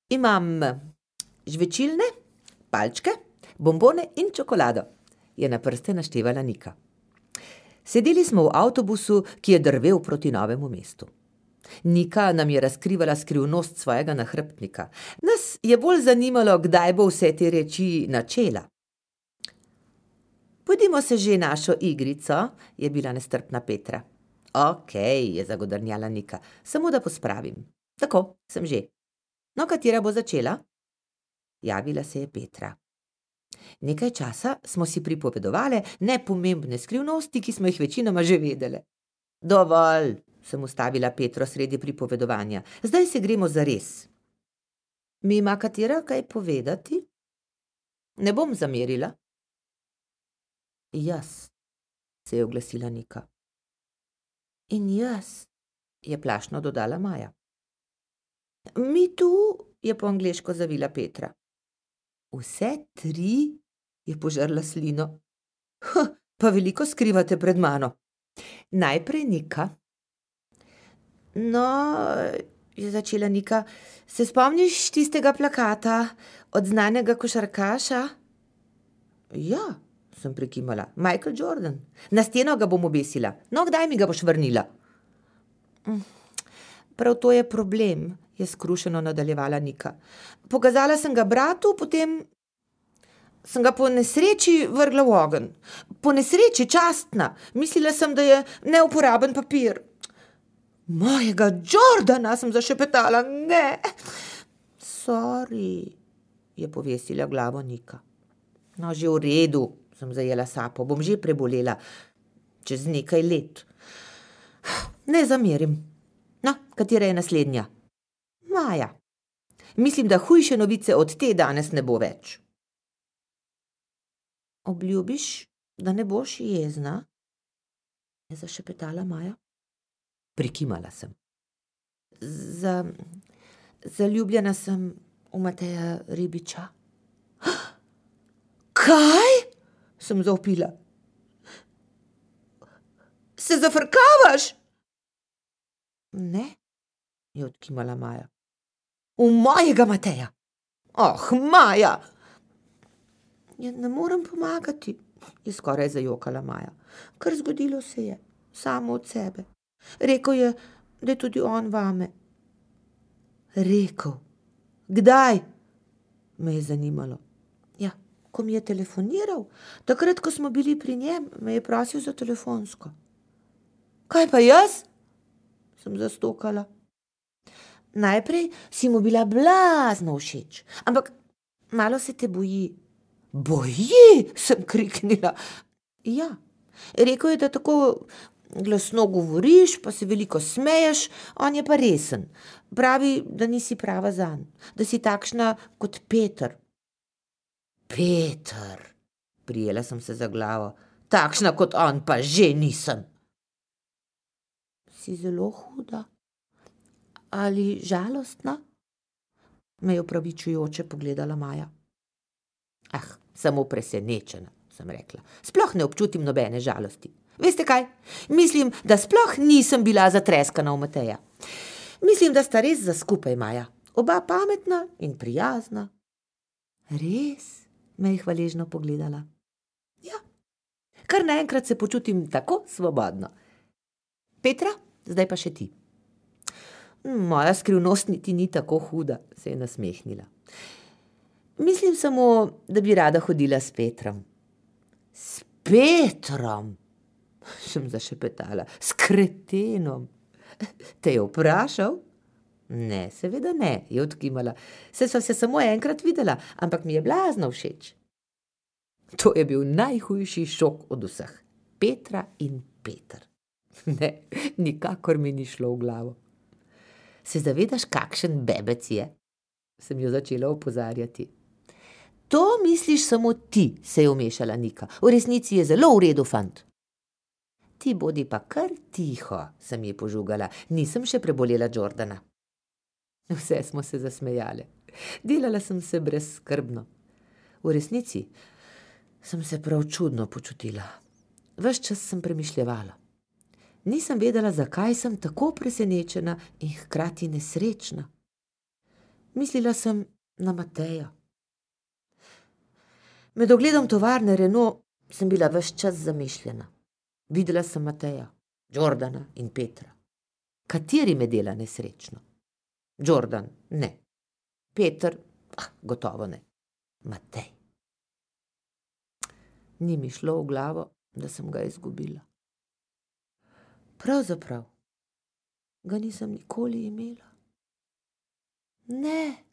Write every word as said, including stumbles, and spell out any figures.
Imam žvečilne, palčke, bombone in čokolado, je na prste naštevala Nika. Sedeli smo v avtobusu, ki je drvel proti Novemu mestu. Nika nam je razkrivala skrivnost svojega nahrbtnika. Nas je bolj zanimalo, kdaj bo vse te reči načela. Pojdimo se že našo igrico, je bila nestrpna Petra. Okej, je zagodrnjala Nika, samo da pospravim. Tako, sem že. No, katera bo začela? Javila se je Petra. Nekaj časa smo si pripovedovale nepomembne skrivnosti, ki smo jih večinoma že vedele. Dovolj, sem ustavila Petro sredi pripovedovanja. Zdaj se gremo zares. Mi ima katera kaj povedati? Ne bom zamerila. Jaz, se je oglasila Nika. In jaz, je plašno dodala Maja. Mi tu, je po angleško zavila Petra. Vse tri, je požrla slino. Huh, pa veliko skrivate pred mano. Najprej Nika. No, je začela Nika, se spomniš tistega plakata od znanega košarkaša? Ja, sem prikimala. Michael Jordan. Na steno ga bom obesila. No, kdaj mi ga boš vrnila? Prav to je problem, je skrušeno nadaljevala Nika. Pokazala sem ga bratu, potem sem ga po nesreči vrgla v ogenj. Po nesreči, častna. Mislila sem, da je neuporaben papir. Mojega Jordana, sem zašepetala. Ne. Sorry, je povesila glavo Nika. No, že v redu, sem zajela sapo. Bom že prebolela. Čez nekaj let. Ne zamerim. No, katera je naslednja? Maja. Mislim, da hujše novice od te danes ne bo več. Obljubiš, da ne boš jezna? Je zašepetala Maja. Prikimala sem. Za, zaljubljena sem v Mateja Ribiča. Kaj? Sem zavpila. Se zafrkavaš? Ne, je odkimala Maja. V mojega Mateja. Oh, Maja! Ja, ne morem pomagati, je skoraj zajokala Maja. Kar zgodilo se je, samo od sebe. Rekel je, da je tudi on vame. Rekel? Kdaj? Me je zanimalo. Ja, ko mi je telefoniral, takrat, ko smo bili pri njem, me je prosil za telefonsko. Kaj pa jaz? Sem zastokala. Najprej si mu bila blazno všeč, ampak malo se te boji. Boji, sem kriknila. Ja, rekel je, da tako glasno govoriš, pa se veliko smeješ, on je pa resen. Pravi, da nisi prava zanj, da si takšna kot Peter. Peter, prijela sem se za glavo, takšna kot on pa že nisem. Si zelo huda ali žalostna? Me je opravičujoče pogledala Maja. Ah, samo presenečena, sem rekla. Sploh ne občutim nobene žalosti. Veste kaj? Mislim, da sploh nisem bila zatreskana v Mateja. Mislim, da sta res za skupaj, Maja. Oba pametna in prijazna. Res? Me je hvaležno pogledala. Ja, kar naenkrat se počutim tako svobodno. Petra, zdaj pa še ti. Moja skrivnost niti ni tako huda, se je nasmehnila. Mislim samo, da bi rada hodila s Petrom. S Petrom? Sem zašepetala. S kretenom. Te je vprašal? Ne, seveda ne, je odkimala. Se sva se samo enkrat videla, ampak mi je blazno všeč. To je bil najhujši šok od vseh. Petra in Peter. Ne, nikakor mi ni šlo v glavo. Se zavedaš, kakšen bebec je? Sem jo začela opozarjati. To misliš samo ti, se je vmešala Nika. V resnici je zelo v redu fant. Ti bodi pa kar tiho, sem ji požugala. Nisem še prebolela Jordana. Vse smo se zasmejale. Delala sem se brezskrbno. V resnici sem se prav čudno počutila. Ves čas sem premišljevala. Nisem vedela, zakaj sem tako presenečena in hkrati nesrečna. Mislila sem na Mateja. Med ogledom tovarne Renault sem bila ves čas zamišljena. Videla sem Mateja, Jordana in Petra. Kateri me dela nesrečno? Jordan, ne. Peter, ah, gotovo ne. Matej. Ni mi šlo v glavo, da sem ga izgubila. Pravzaprav ga nisem nikoli imela. Ne,